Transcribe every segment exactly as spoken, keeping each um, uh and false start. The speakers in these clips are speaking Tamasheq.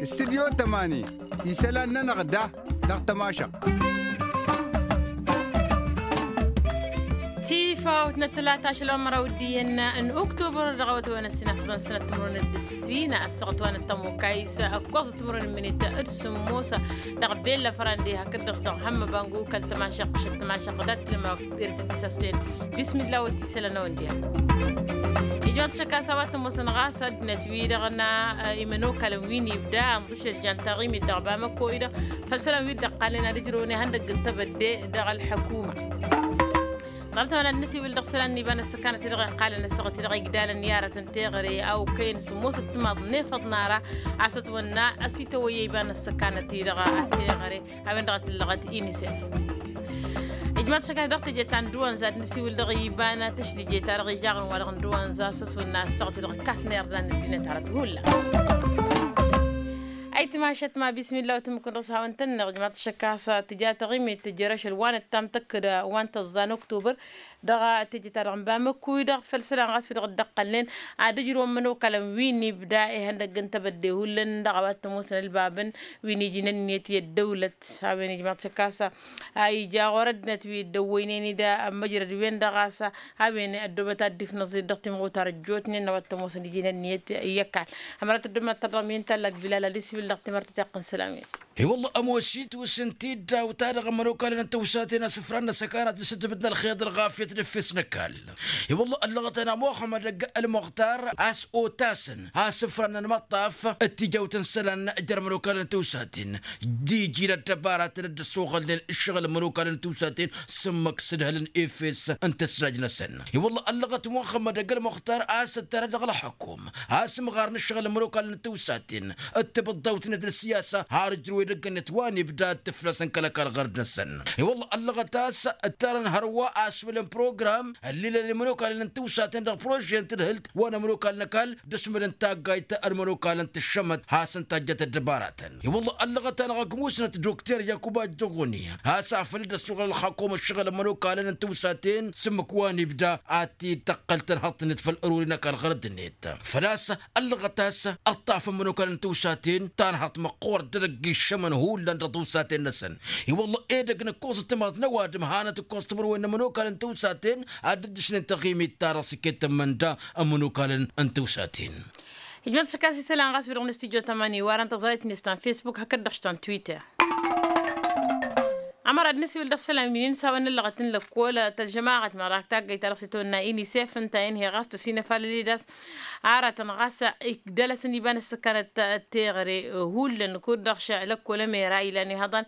Studyo tămani isălan-nănăɣ da dăɣ-tămašăɣt. Tifawt n-ăttălata ašăl wa n-măraw d-iyyăn n-uktubăr dăɣ-awătăwăn ăssinăfḍăn sănăt timǝrwen d-ǝssin ăssaɣăt wa n-ăttămukayis ăkkoẓăt timǝrwen n-minit d-sǝmmos dăɣ-bella fărandi hakd-dăɣ dăɣ-hămmăbangu kăl-tămašăɣt kăšăt tămašăɣt dat-lăma. Irtǝt isăsten bismilla wăt isălăn a-wen diha. Ijmaḍ šăkka s-a-wa t-ămoosăn ɣas ăddinăt-wi-dăɣ n-imănokalăn wi n-ibda ănḍǝšăl jan taɣimit dăɣ-bamăko-i-dăɣ făll-isălan wi dd-ăqqalnen ad-ǝjrăwăn ihăndăgg n-tebădde dăɣ-ălḥăkuma. Ḍarăt-a-wen ad-nǝsiwǝl dăɣ-isălan n-iba n-ăssăkanăt-i-dăɣ iqqalăn ăssaɣăt-i-dăɣ igdalăn i-aratăn teɣăre a okăyăn sǝmmosăt timaḍ n-efăḍ n-ara a-s ătwănna ăsităwăyya iba n-ăssăkanăt-i-dăɣ teɣăre. A-wen-dăɣ a t-ǝllăɣăt inisef. Ijmaḍ šăkka dăɣ-teje ta n-dăwanza ad-nǝsiwǝl dăɣ-iba n-tăšlǝje-ta-dăɣ ijaɣăn wa-dăɣ n-dăwanza s-ăswănna ăssaɣăt-i-dăɣ ǝkkasăn irdan ăddinăt hărăt hullan. Ayǝtmašăt ma bismilla wa tǝmmǝkǝn dăɣ-s hawăn-tăn-năɣ ijmaḍ šăkka a-s tǝja taɣimit tǝjjăr ašăl wa n-ăttamtăkk d-wa n-tăẓẓa n-oktubăr. Dăɣ-teje-ta-dăɣ n-bamăkkuy-dăɣ făll-isălan ɣas wi-dăɣ dd-ăqqălnen ad-ǝjrǝwăn imănokalăn wi n-ibda ihăndăgg n-tebădde hullan dăɣ-a-wa t-ămoosăn ălbabăn wi n-iji n-ǝnniyăt i-ăddăwlăt. A-wen ijmaḍ šăkk a-s a ija ɣur-ăddinăt wi dd-ăwwăynen-dd ămmăjrăd-wen-dăɣ a-s a-wen ăddoobăt ad-dd-ifnăẓ-dd dăɣ-timɣutar ăjjootnen n-a-wa t-ămoosăn iji n-ǝnniyăt i-ăkall. Ămărat ăddoobăt ad-tărrăm i-ǝnta ăllăg bilal ad-isiwǝl dăɣ-timărtăt iqqǝn sălam-i. I-wălla ămoos-itwǝs ǝnta-i dd-awǝta dăɣ-imănokalăn n-tăwsaten asǝfran n-asăkanăt d-asǝtbǝt n-ălxeḍ ălɣafyăt d-efes n-ăkall. I-wălla ăllăɣăt-anăɣ muxămmăd ălmăɣtar a-s otasăn asǝfran n-ălmăṭṭaf d-tijawt n-isălan jer-imănokalăn n-tăwsaten d-iji n-ăddăbaratăn dd-ăssoɣălnen ǝššăɣǝl n-imănokalăn n-tăwsaten s-ǝmmǝk s-ǝdhǝlăn efes n-tăsnaj-năsăn. I-wălla ăllăɣăt muxămmăd ălmăɣtar a-s ǝttărăd dăɣ-ălxăkum asǝmɣar n-ǝššăɣǝl n-imănokalăn n-tăwsaten d-tibǝḍḍawt-net n-ǝssiyasa har ǝjrǝw edăgg-net wa n-ibda d-tǝflăsăn kăl-ăkall ɣur-năsăn. I-wălla ăllăɣăt a-s ǝttărăn hărwa asmǝl n-program ăllilăn imănokalăn n-tăwsaten dăɣ-prože n-tǝdhǝlt wa n-imănokalăn n-ăkall d-asmǝl n-taggayt n-imănokalăn tǝššămăt hasăn-tajjăt ăddăbaratăn. I-wălla ăllăɣăt-anăɣ ăgg musnăt dokter yakuba jăɣoni has-afăl dd-ăssuɣǝl ălxakum ǝššăɣǝl n-imănokalăn n-tăwsaten s-ǝmmǝk wa n-ibda ad-t-dd-tăqqăl tănhăḍt-net făll-ărori n-ăkall ɣărăd-net. Făl-a-s ăllăɣăt a-s ăṭṭafăn imănokalăn n-tăwsaten tanhăḍt măqqoorăt d-edăgg iššămăn hullan dăɣ-tăwsaten-năsăn. I-wălla edăgg n-ǝkkoẓăt timaḍ n-ăwadǝm hanăt-ǝkkoẓăt timǝrwen n-imănokalăn n-tăwsaten ad-dd-ǝšnen taɣimit-ta-dăɣ s-iket tămmănda n-imănokalăn n-tăwsaten. Ijmăḍ s-ăkkas isălan ɣas wi-dăɣ n-studyo tămani wa dăɣ-n tăẓrayt-net ta n-facebook hakd-dăɣ ta n-twitter. Ămăra d-nǝsiwǝl dăɣ-isălan wi n-inǝsawăn n-ăllăɣăt n-lăkkol tălžămaɣăt mărak taggayt ta dăɣ-s itwănna inisef ǝnta inhe ɣas tăsinăfalăl-dd a-s aratăn ɣas ikdăl-asăn iba n-ăssăkanăt teɣăre. Hullan kud-dăɣ lăkkol ămera ilan ihăḍăn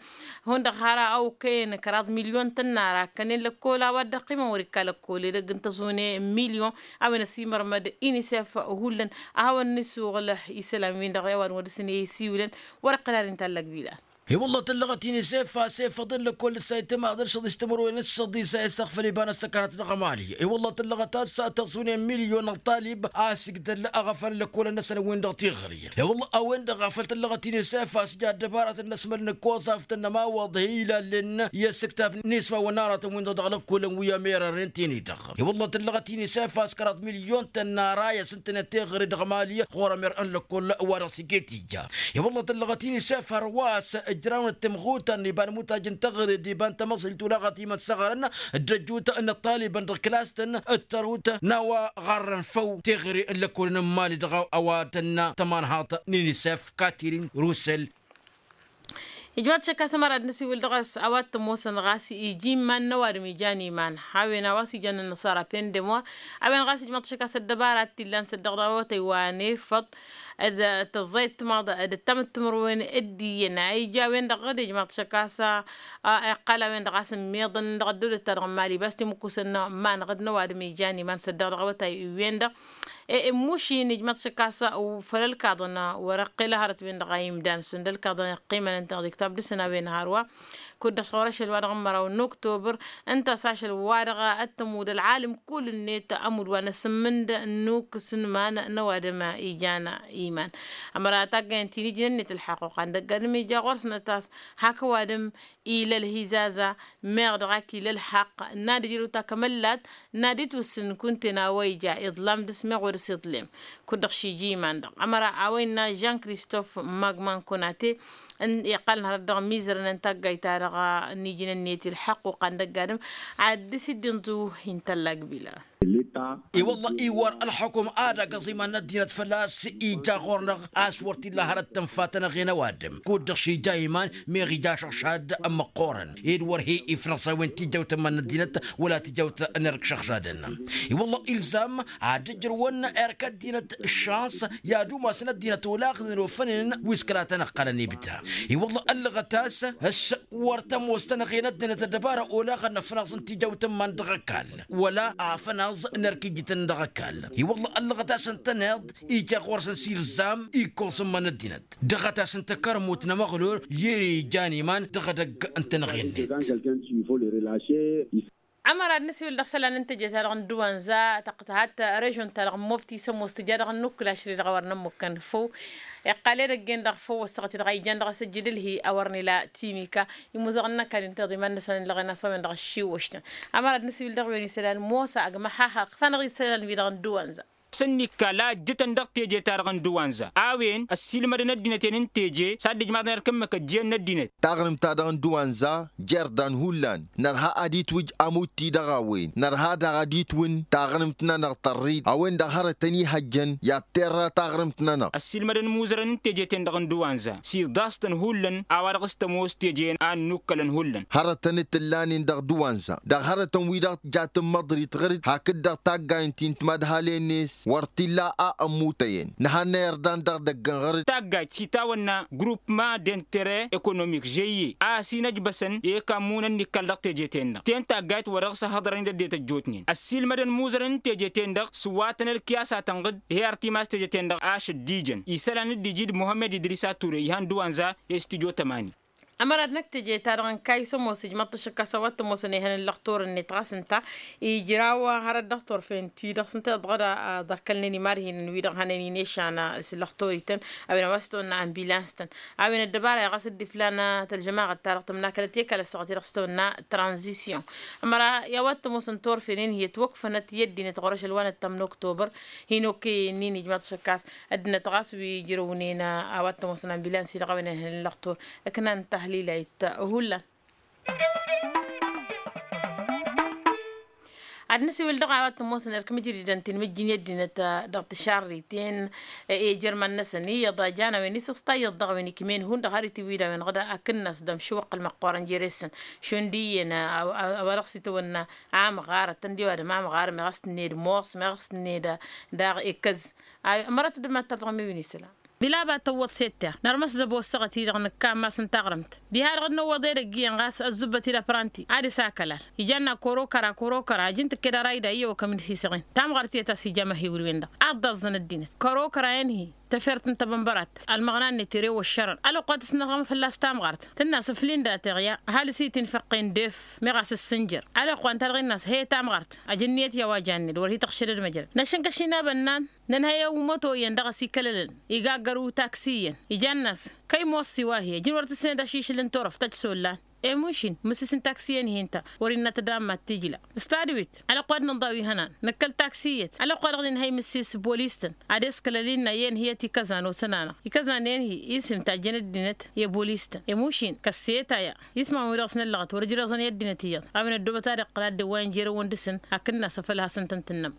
hundăɣ har a okăyăn kăraḍ milyon tănnara ăkkănen lăkkol a-wa dd-ăqqimăn wăr-ikka lăkkol edăgg n-tăẓune milyon. A-wen ăsimărmăd inisef hullan a hawăn-nǝsuɣǝl isălan-win-dăɣ i-a-wa dăɣ-wăr dăr-săn i-isiwǝlăn. Wăr-ăqqǝl har inta ăllăg bilal. I-wălla tǝllăɣăt inisef a-s efăḍ n-lăkkol d-ǝssa itǝmaḍ ǝlšăḍ-i s-timărwen s-săḍisa i-săɣfăl iba n-ăssăkanăt dăɣ-emali. I-wălla tǝllăɣăt a-s tăẓune milyon n-talib a-s igdăl aɣăfăl n-lăkkolăn-năsăn-win-dăɣ tiɣri. I-wălla a-wen-dăɣ afăl tǝllăɣăt inisef a-s ja ăddăbaratăn n-asmăl n-ǝkkoẓaft n-ămawaḍ hi-ilallen i-asǝktab n-ismawăn n-aratăn-win-dăɣ dăɣ-lăkkolăn wi ămerăren tini-dăɣ. I-wălla tǝllăɣăt inisef a-s kăraḍ milyon tănnara i-asǝntănet teɣăre dăɣ-emali ɣur-ămer n-lăkkol wa dăɣ-s iket ija. I-wălla tǝllăɣăt inisef hărwa a-s ǝjrawnăt timɣutăn iba n-imutaj n-teɣăre d-iba n-tamăẓilt olaɣăt imăssăɣărăn d-ăjut n-ăṭṭalibăn dăɣ-klas-tăn d-tărut n-a-wa ɣarrăn făw teɣăre n-lăkkolăn n-mali dăɣ-a-wa tănna tămanhaḍt n-inisef katirin rusel. Ijmaḍ šăkk a-s ămăra d-nǝsiwǝl dăɣ-s a-wa t-ămoosăn ɣas iji iman n-ăwadǝm ijan iman. A-wen a-wa s-ijăn ănnăṣara pendem wa a-wen ɣas ijmaḍ šăkk a-s ăddăbara t-illan s-ăddăɣ dăɣ-awătăy wa n-efăḍ d-tăẓẓayăt timaḍ d-ăttam d-timǝrwen. D-iyyăn a ija a-wen-dăɣ d-ijmaḍ šăkk a-s iqqal a-wen-dăɣ a-s ǝmmiḍăn dăɣ-ăddăwlăt-ta-dăɣ n-mali bas timǝkkusăn n-iman-dăɣ d-ăwadǝm ijan iman s-ăddăɣ dăɣ-awătay-wen-dăɣ. Ǝmmušin ijmaḍ šăkk a-s făll-ălkaḍăn wăr-ăqqel hărăt-wen-dăɣ a imdan šund ălkaḍăn iqqimăn ǝnta dăɣ-iktab dăr-săn a-wen hărwa. Kud-dăɣ ɣur-ašăl wa dăɣ-ămmăraw n-oktobăr. Ǝnta a-s ašăl wa dăɣ-ăttămud ălɣalăm kull-net ămud wa n-asǝmmǝnd n-ukǝs n-iman n-ăwadǝm ijan iman. Ămăra taggayăn ti n-ijnăn-net ălḥaqq uqan dăgg-adǝm ija ɣur-săn a tas hak ăwadǝm ila ălhizaza meɣ dăɣ-ak ila ălḥaqq n-ad-ǝjrăw takămăllat n-ad-itwǝssǝn kunta-en a-wa ija iḍlam dăɣ-s meɣ wa dăɣ-s iḍlem. Kud-dăɣ šiji iman-dăɣ ămăra a-wa innă jean kristof magman konate iqqălăn hărăt dăɣ-mizărăn n-taggayt-ta-dăɣ n-ijnăn-net ilḥăqq uqan dăgg-adǝm ad-dăr-s dd-inẓǝw. Intăllak bila. I-wălla iwar ălxukum ad-agăẓ iman n-ăddinăt fălla-s ija ɣur-năɣ a-s wăr t-illa hărăt tǝnfa-tăn-ăɣen ăwadǝm kud-dăɣ šija iman meɣ ija ašăɣšad. Măqqoorăn ed wăr he-ifnăẓ a-wen tijawt n-iman n-ăddinăt wăla tijawt n-erk šăɣšadăn. I-wălla ilzam ad-ǝjrǝwăn erk ăddinăt šans i-ad-umasăn ăddinăt olaɣnen ofănen wi s-kăla tăn-ăqqalăn ibda. I-wălla ăllăɣăt a-s s-wăr tămoos-tăn-ăɣen ăddinăt ăddăbara olaɣăn ăfnaẓ n-tijawt n-iman dăɣ-ăkall wăla afănaẓ n-erk ijităn dăɣ-ăkall. I-wălla ăllăɣăt a-s ǝntăneḍ ija ɣur-săn s-ilzam ikkoẓ n-iman n-ăddinăt dăɣ-a tas n-takărmut n-amăɣlol i-ere ijan iman dăɣ-edăgg n-tenăɣe-net. Ămăra ad-nǝsiwǝl dăɣ-isălan n-teje ta dăɣ-n duwanza tăqtăhat režon-ta-dăɣ n-mobti s-ămoos tǝja dăɣ-nǝkǝl ašăl-i-dăɣ a wăr nămmukăn făw. Iqqal edăgg-en-dăɣ făw ăssaɣăt-i-dăɣ a ijan dăɣ-asǝjjǝd ǝlhi a wăr nǝla timika imuzăɣăn n-ăkall inta iḍa iman-năsăn ǝllăɣen a-s a-wen-dăɣ ăššiwwăštăn. Ămăra ad-nǝsiwǝl dăɣ-wen isălan mosa ăgg măhaha ǝkfan-dăɣ isălan-wi-dăɣ n-duwanza. S-ǝnnikka la ǝjjǝtăn dăɣ-teje-ta-dăɣ n-duwanza a-wen ăssiilmădăn ăddinăt-en n-teje s-ad-dd-ǝjmaḍăn erk ǝmmǝk ăjjeen n-ăddinăt. Taɣrǝmt-ta-dăɣ n-duwanza jer-dan hullan nărha ad-itwǝj amutti dăɣ-a-wen nărha daɣ ad-itwǝn taɣrǝmt-nănăɣ tărrid a-wen-dăɣ hărătăn ihăjjăn i-ad-terra taɣrǝmt-nănăɣ. Ăssiilmădăn imuzărăn n-teje-ten-dăɣ n-duwanza s-iḍas-tăn hullan a-wa dăɣ-s tămoos teje-en a ănnukkălăn hullan. Hărătăn t-ǝllanen dăɣ-duwanza dăɣ-hărătăn-wi-dăɣ tǝja tǝmmăḍrit ɣǝr-dd hakd-dăɣ taggayǝn ti n-timadhalen-net wăr t-illa a ămmutăyăn nǝhannăy ărdan dăɣ-idăgg n-ɣǝr-dd. Taggayt s-itawănna grupma d-intere ekonomik žeyye a ăsinăjbăsăn i-kammun ănnikkal dăɣ-teje-ten-dăɣ ten taggayt wa dăɣ-s ăhhăḍărăn-dd ăddinăt ăjjootnen ăssiilmădăn imuzărăn n-teje-ten-dăɣ s-wa tăn-ălkiyas a tănɣǝd he-artimas teje-ten-dăɣ ašăl d-ijăn isălan dd-iji d-muhămmed idris a ture ihan d-wanza. I-s tijo tămani. Ămăra d-năkk teje-ta-dăɣ n-kayy s-ămoos ǝjmăḍ-t ašǝkkas a-wa t-ămoosăn ehăn n-lăxtor-net ɣas ǝnta ijraw hărăt dăɣ-turfen-ti-dăɣ s-ǝnta iḍɣăd a ḍăkkălnen imarhinen-wi-dăɣ hănen inešan s-lăxtor-ităn a-wen a-wa s-tăwănna ambilans-tăn. A-wen ăddăbara-i ɣas dd-iflan tălžămaɣăt-ta-dăɣ tǝmnakălăt i-kăl-ăssaɣăt-i-dăɣ s-tăwănna tranzisyon. Ămăra i-a-wa t-ămoosăn turfen-en-hi ătwăkfănăt i-ăddinăt ɣur-ašăl wa n-ǝttăm n-oktobăr hin-okăyăn-in ijmaḍ-t ašǝkkas ăddinăt ɣas wi ǝjrăwnen a-wa t-ămoosăn ambilans-i-dăɣ a-wen ehăn n-lăxtor. Ǝknan tahlilăyt hullan. Ad-nǝsiwǝl dăɣ-a-wa t-ămoosăn erk mǝjridăn ti n-imǝjjin i-ăddinăt dăɣ-tišarriten i-ijăr iman-năsăn iyyăḍ a jan a-wen isǝsta iyyăḍ dăɣ-a-wen ikmen hundăɣ har itiwǝy d-a-wen ɣǝd akǝnnas d-amšuwăqqăl măqqoorăn jere-săn šund iyyăn a-wa dăɣ-s itawănna amɣar ăttăndi ăwadǝm amɣar meɣ a-s tǝnned moos meɣ a-s tǝnned daɣ ekkăz. Ămărăt d-mad-tărdăɣ mi-win isălan bila a ba tăwwăḍ s-e-t-teɣ nărmăs zăbo ăssaɣăt-i-dăɣ nǝkka ammas n-taɣrǝmt diha-dăɣ d-năwwăḍ edăgg iyyăn ɣas ăzzǝbbăt-dd apranti ad-ăsakălal. Ija ănna kăro-kăra kăro-kăra ăj n-tǝkked ărayda iyyăw akămǝn s-isăɣen tamɣart i-ad-tasija măhiwǝl-wen-dăɣ. Aḍḍaẓẓăn ăddinăt kăro-kăra-en-hi tefert n-tabănbărat ălmăɣna-net ere wăššărăn ălwăqq wa tǝsnăɣăm fălla-s tamɣart tǝnn'-as ǝflin dateɣ ya ăhalǝs-i tinfăqqen d-ef meɣ a-s ǝssǝnjăr. Ălwăqq wa n-ta-dăɣ innă-as he tamɣart ăj ǝnniyăt i-a-wa janned wăr hi-tăɣšădăd măjrăd năšǝnkăš-in abănnan. Nǝnhăy ăwmăto iyyăn dăɣ-s ikălălăn igaggar u-taksi iyyăn ija ănn'-as kăy-moss-i wa hi-ăj n-wăr tǝsned ašǝšǝl n-turăft ăj s-ollan. Emuš-in mǝssis n-taksi-en-hi ǝnta wăr-innăt d-amma t-ijla. S-tadǝwit ălwăqq wa d-nǝnḍa wi hănan nǝkkăl taksi iyyăt ălwăqq wa dăɣ-nǝnhăy mǝssis bolis-tăn ad-eskălăl innă iyyăn hi-ătikăzan osăn-anăɣ ikăzan-en-hi isǝm tajjăn ăddinăt i-bolis-tăn. Emuš-in kăsseta ya isman-wi dăɣ-s năllăɣăt wăr-ǝjrăẓăn i-ăddinăt iyyăḍ a-wen ăddoobăt ad-iqqăl ad-dd-iwwayăn jere-wăn dăr-săn hakd ǝnn'-as afăl hasăn-tăn-tǝnnăm.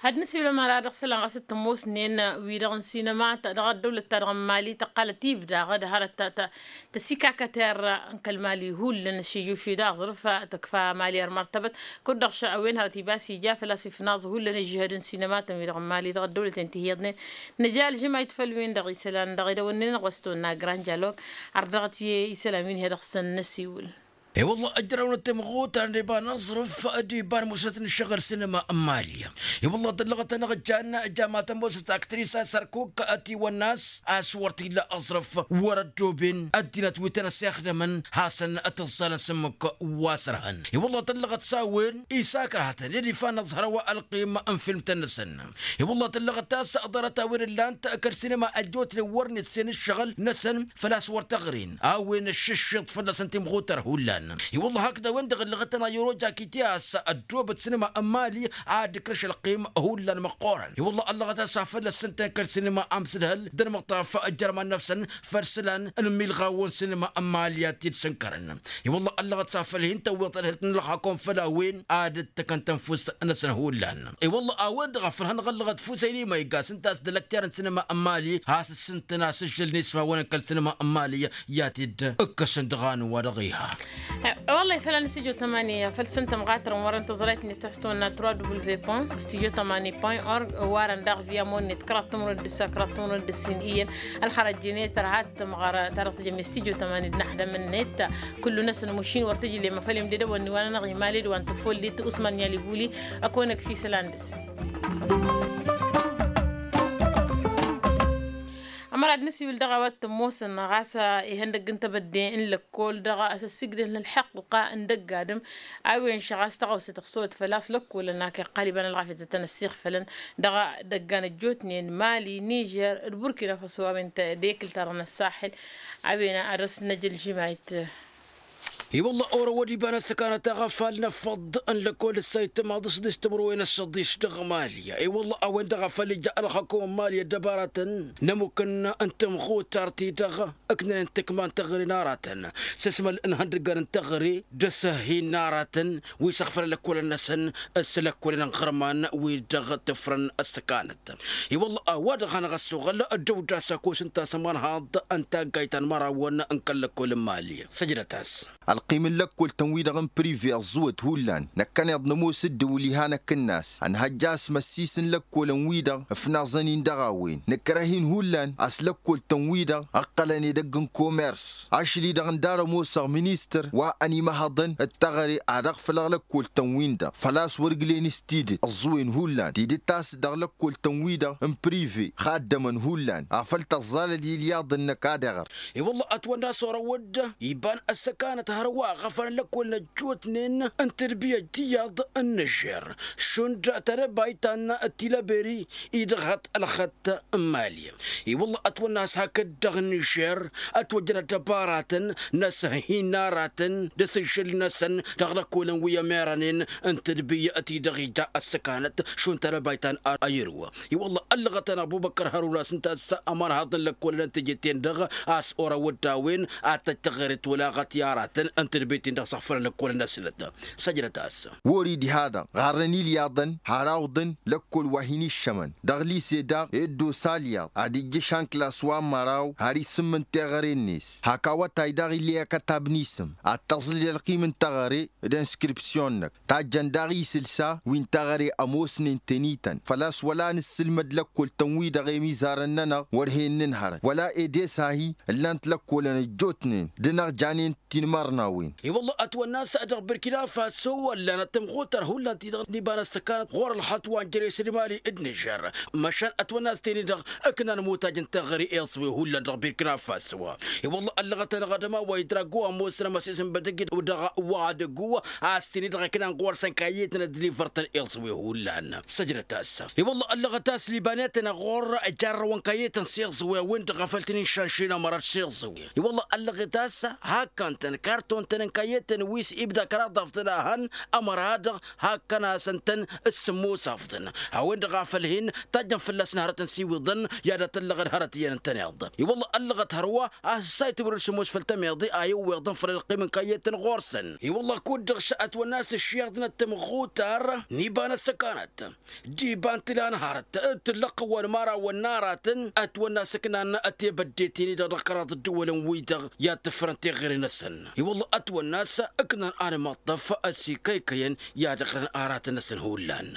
Ad-nǝsiwǝl ămăra dăɣ-isălan ɣas t-ămoosnen wi-dăɣ n-sinăma dăɣ-ăddăwlăt-ta-dăɣ n-mali tăqqalăt ibdaɣ d-hărăt ta-ta tăsikakăt i-arra n-kăl-mali hullan ăššijjuši d-aẓrǝf tǝkfa mali ărmărtăbăt. Kud-dăɣ š-a-wen hărăt iba s-ija făl-a-s ifnaẓ hullan ǝžžǝhăd n-sinăma-tăn wi-dăɣ n-mali dăɣ-ăddăwlăten ti hi-iyyăḍnen. Nǝja ălžămayt făll-wen-dăɣ isălan dăɣ-idăwănnen-dăɣ wa s-tăwănna grand jalog. Ardăɣăt i-isălan wi n-hi-dăɣ s-ănnăsiwǝl. I-wălla ăjrăwnăt timɣutar n-iba n-aẓrǝf d-iba n-musnăt n-ǝššăɣǝl sinima n-mali. I-wălla tǝllăɣăt-anăɣ ǝjjan ǝjja ma tămoosăt aktris a-s ărkuk ătiwănna a-s a-s wăr t-illa aẓrǝf wăr-ăddooben ăddinăt wi tăn-ăssixdămăn hasăn-tǝẓẓalăn s-ǝmmǝk wa s-ărhăn. I-wălla tǝllăɣăt s-a-wen isakărhatăn ed ifan aẓhăr wa ălqim n-filmtăn-năsăn. I-wălla tǝllăɣăt a-s ḍarăt a-wen ǝllan-t kăl-sinima ăjjootnen wăr n-issen ǝššăɣǝl-năsăn făl-a-s wăr t-ăɣrin a-wen ǝššǝššiḍ fălla-săn timɣutar hullan. I-wălla hakd a-wen-dăɣ ǝllăɣăt-anăɣ yăroja kiti a-s ăddoobăt sinima n-mali ad-ǝkrǝš ălqim hullan măqqoorăn. I-wălla ăllăɣăt a-s a făl ăssǝntăn kăl-sinima amsǝdhăl d-ănmăṭṭaf ăjjărman năfsăn făll-isălan n-imilɣawăn sinima n-mali ad-t-dd-sǝnkărăn. I-wălla ăllăɣăt s-afăl hin-tăwweḍ tadhǝlt n-ălxakom făll-a-wen ad-dd-tăkăn tănfust-năsăn hullan. I-wălla a-wen-dăɣ a făl hanăɣ-ăllăɣăt fusăyni ma iggas ǝnta a-s dd-ălăkterăn sinima n-mali has-ǝssǝntăn a-s ǝžžǝlnen ismawăn n-kăl-sinima n-mali i-ad-t-dd-ǝkkăsăn dăɣ-anǝwa-dăɣ iha. Wălla isălan n-studio tămani făll-săn tămɣatărăn wărăn tăẓrayt-net ta s-tăwănna trois w point studio tămani point org. Warăn daɣ via monnet kăraḍ timǝrwen d-ǝssa kăraḍ timǝrwen d-ǝssin iyyăn. Ălxărăjjănet tărha tămɣăr ta dăɣ-tǝjăm i-studio tămani d-inăxdăm-net. Kullu-năsăn mušin wăr tǝjlem afăl imdădăwăn n-iwanănăɣ imali d-wa n-tăfoldit usman n-yalibuli. Ăkăwănăk fisălan dăɣ-s. Ămăra d-nǝsiwǝl dăɣ-a-wa t-ămoosăn ɣas ihăndăgg n-tebădde n-lăkkol dăɣ-a-s ăssigdăl n-ălḥăqqa n-dăgg-adǝm. A-wen šăɣ a-s tăɣawse tăɣsăwăt făl-a-s lăkkol ănn ak iqqal iba n-ălɣafyăt ad-tăn-ăssiixfălăn dăɣ-idăggan ăjjootnen mali nižer d-burkina faso a-wen d-ekǝl-ta-dăɣ n-ăssaxil. A-wen ad-dăr-s năj ălžǝmayt. I-wălla orăwăd iba n-ăssăkanăt aɣăfal n-afăḍ n-lăkkol d-ăssayt tămaḍ s-dd-s timǝrwen ăššăḍis dăɣ-mali. I-wălla a-wen-dăɣ a făl ija ălxăkum n-mali ăddăbaratăn n-ămukǝn n-tamɣutart-i-dăɣ ǝknănen tǝkma n-teɣăre n-aratăn s-asmăl n-ihăndăggan n-teɣăre d-asăhhin n-aratăn wi s-ăɣfălăn lăkkolăn-năsăn s-lăkkolăn n-iɣărman wi dăɣ-tǝfrăn ăssăkanăt. I-wălla a-wa-dăɣ hanăɣ-ăssoɣăl ăddăwda s-akos ǝnta a-s ămanhaḍ n-taggayt ta n-imărawăn n-kăl-lăkkol n-mali săjdăt-as. Ălqim n-lăkkol-tăn-wi-dăɣ n-prive ăẓẓuwăt hullan năkkăneḍ nămoos ǝddǝwǝl iha năkk ǝnnas ănhăjja a-s măssis n-lăkkolăn-wi-dăɣ ǝfnaẓăn-in dăɣ-a-wen nǝkrăh-in hullan a-s lăkkol-tăn-wi-dăɣ ǝqqălăn edăgg n-komers. Ašăl-i-dăɣ ǝnda ar-ămoosăɣ ministăr wa ănimăhăḍăn d-teɣăre ad-ăɣfǝlăɣ lăkkol-tăn-win-dăɣ făl-a-s wăr ǝglen s-tidǝt ǝẓẓuwen hullan tidǝt a-s dăɣ-lăkkol-tăn-wi-dăɣ n-prive ixaddămăn hullan afăl tăẓẓalăd ilyaḍ-năk ad-iɣăr. I-wălla ătwănna a-s orăwăd iba n-ăssăkanăt hărwa ɣăfăn lăkkol n-ăjjootnen n-tadbiyăt tiyyăḍ n-nižer šund tadăbayt ta n-tilăberi-i dăɣ-hăt ălxăt n-mali. I-wălla ătwănna a-s hakd dăɣ-nižer ătwăjjăn ăddăbaratăn n-asăhhin n-aratăn d-asǝžžǝl-năsăn dăɣ-lăkkolăn wi ămerănen n-tadbiyăt-i-dăɣ ija ăssăkanăt šund tadăbayt ta n-ayǝrwa. I-wălla ăllăɣăt-anăɣ bubăkkăr hărun a-s ǝnta a-s ămanhaḍ n-lăkkolăn n-teje-ten-dăɣ a-s orăwăd a-wen ad-tăj teɣăre tolaɣăt i-aratăn n-tadbiyăt-in-dăɣ s-ăɣfălăn lăkkolăn-năsnăt. Săjdăt-as. Wăr-dd iha-dăɣ ɣarrăn ilyaḍăn har awǝḍăn lăkkol wa hin-iššămăn dăɣ-lise daɣ eddos alyaḍ ad-ijjǝš anklas wa n-măraw har isǝmmǝn teɣăre-net hak awătay daɣ ill'-e akătab n-isǝm ad-tăẓlǝl ălqim n-teɣăre d-inskripsyon-năk tajjăn daɣ isǝlsa wi n-teɣăre ămoosnen tănităn făl-a-s wăla nǝssǝlmăd lăkkol-tăn-wi-dăɣ emizarăn-nănăɣ wăr hen nǝnhărăt wăla edes-ahi ǝllan-t lăkkolăn ăjjootnen d-inăɣ janen tinmărnawen. I-wălla ătwănna a-s dăɣ-birkina faso ăllanăt tămɣutăr hullan-ti-dăɣ n-iba n-ăssăkanăt ɣur-ălxăṭṭ wa n-jere s-dd-mali d-nižer măšan ătwănna a-s teni-dăɣ ǝknan mutaj n-teɣăre iẓwe hullan dăɣ-birkina faso. I-wălla ăllăɣăt-anăɣ ad-ămaway drago ămoosăn amăsisǝnbăt ǝjǝd dăɣ-wa dăgg-u a-s teni-dăɣ ǝknan ɣur-săn kayyetăn ădlivăr-tăn iẓwe hullan săjdăt-as. I-wălla ăllăɣăt a-s libanetăn ɣur-jarrăwăn kayyetăn s-iẓwe a-wen-dăɣ a făl tăn-in-šanšin ămărat s-iẓwe. I-wălla ăllăɣăt a-s hakkăn-tăn karton-tăn n-kayyetăn wi s-ibda kăraḍ afḍăn a hăn ămăra-dăɣ hakkăn-asăn-tăn s-sǝmmos afḍăn a-wen-dăɣ a făl hin-tajjăn fălla-săn hărăt n-siwiḍăn i-ad-ătăllăɣăn hărăt iyyăn ǝntăneḍ. I-wălla ăllăɣăt hărwa a-s ăssaytǝmrǝd sǝmmos făll-tămeḍe a iwweḍăn făll-ălqim n-kayyetăn ɣur-săn. I-wălla kud-dăɣ s-ătwănna a-s ǝššiḍnăt tămɣutar n-iba n-ăssăkanăt d-iba n-tǝla n-hărăt d-tǝllăqqǝwăn imărawăn n-aratăn ătwănna a-s ǝknan tebădde-ten-i-dăɣ dăɣ-kăraḍ ǝddǝwălăn-wi-dăɣ i-ad-tǝfrăn teɣăre-năsăn. I-wălla ătwănna a-s ǝknan anmăṭṭăf ăsikăykăyăn i-ad-ǝɣrǝn aratăn-năsăn hullan.